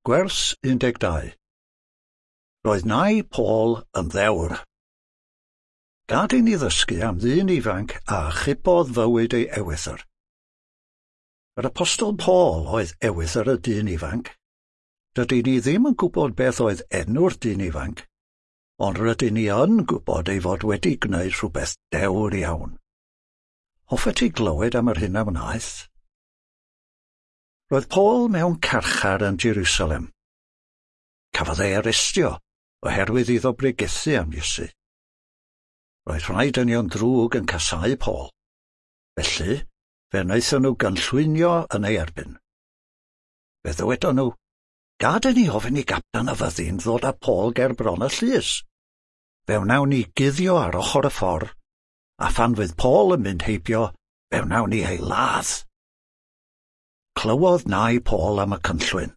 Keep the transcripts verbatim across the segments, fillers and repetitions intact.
Gwers un deg dau. Roedd nai Paul yn ddewr. Gad i ni ddysgu am ddyn ifanc a achubodd fywyd ei ewythr. Yr Apostol Paul oedd ewythr y dyn ifanc. Dydyn ni ddim yn gwybod beth oedd enw'r dyn ifanc, ond rydyn ni yn gwybod ei fod wedi gwneud rhywbeth dewr iawn. Hoffet ti glywed am yr hyn a wnaeth? Roedd Paul mewn carchar yn Jerusalem. Cafodd ei arestio oherwydd iddo bregethu am Iesu. Roedd rhai dynion drwg yn casáu Paul. Felly, fe wnaethon nhw gynllwynio yn ei erbyn. Fe ddywedon nhw, "Gad i ni ofyn i gapten y fyddin ddod â Paul ger bron y llys. Fe wnawn ni guddio ar ochr y ffordd, a phan fydd Paul yn mynd heibio, fe wnawn ni ei ladd." Clywodd nai Paul am y cynllwyn.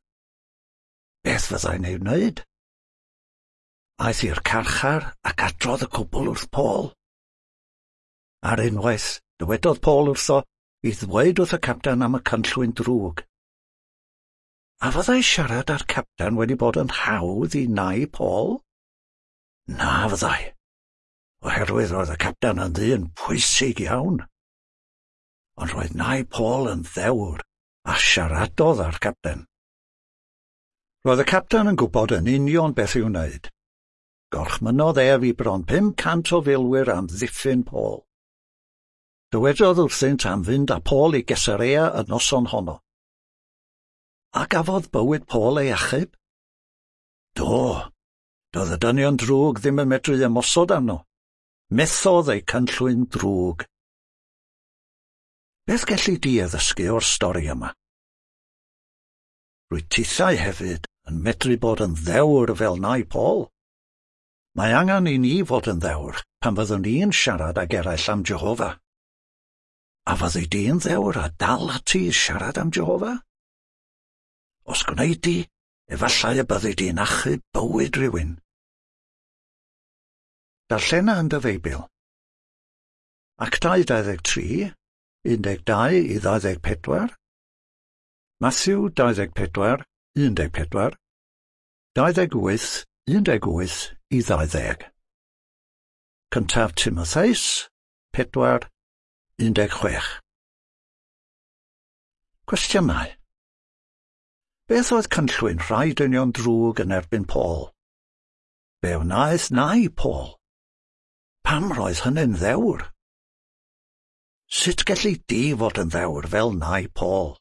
Beth fyddai'n ei wneud? Aeth i'r carchar ac adrodd y cwbl wrth Paul. Ar unwaith, dywedodd Paul wrtho i ddweud wrth y capten am y cynllwyn drwg. A fyddai siarad â'r capten wedi bod yn hawdd i nai Paul? Na fyddai, oherwydd roedd y capten yn ddyn pwysig iawn. Ond roedd nai Paul yn ddewr a siaradodd â'r capten. Roedd y capten yn gwybod yn union beth i'w wneud. Gorchmynnodd ef i bron pum cant o filwyr am ddiffyn Paul. Dywedodd wrthynt am fynd â Paul i Gesarea y noson honno. A gafodd bywyd Paul ei achub? Do, doedd y dynion drwg ddim yn medru ymosod arno. Methodd eu cynllwyn drwg. Beth gelli di addysgu o'r stori yma? Rwyt tithau hefyd yn medru bod yn ddewr fel nai Paul. Mae angen i ni fod yn ddewr pan fyddwn ni'n siarad ag eraill am Jehofa. A fyddi di'n ddewr a dal ati i siarad am Jehofa? Os gwneud di, efallai y byddi di'n achub bywyd rhywun. Darllena yn dy Feibl. Actau dau ddeg tri, un deg dau i ddau ddeg pedwar, Matthew dau ddeg pedwar, un deg pedwar, dau ddeg wyth, un deg wyth i ddau ddeg. Cyntaf Timotheus, pedwar, un deg chwech. Cwestiynau. Beth oedd cynllwyn rhai dynion drwg yn erbyn Paul? Be wnaeth nai Paul? Pam roedd hynny'n ddewr? Sut gelli di fod yn ddewr fel nai Paul?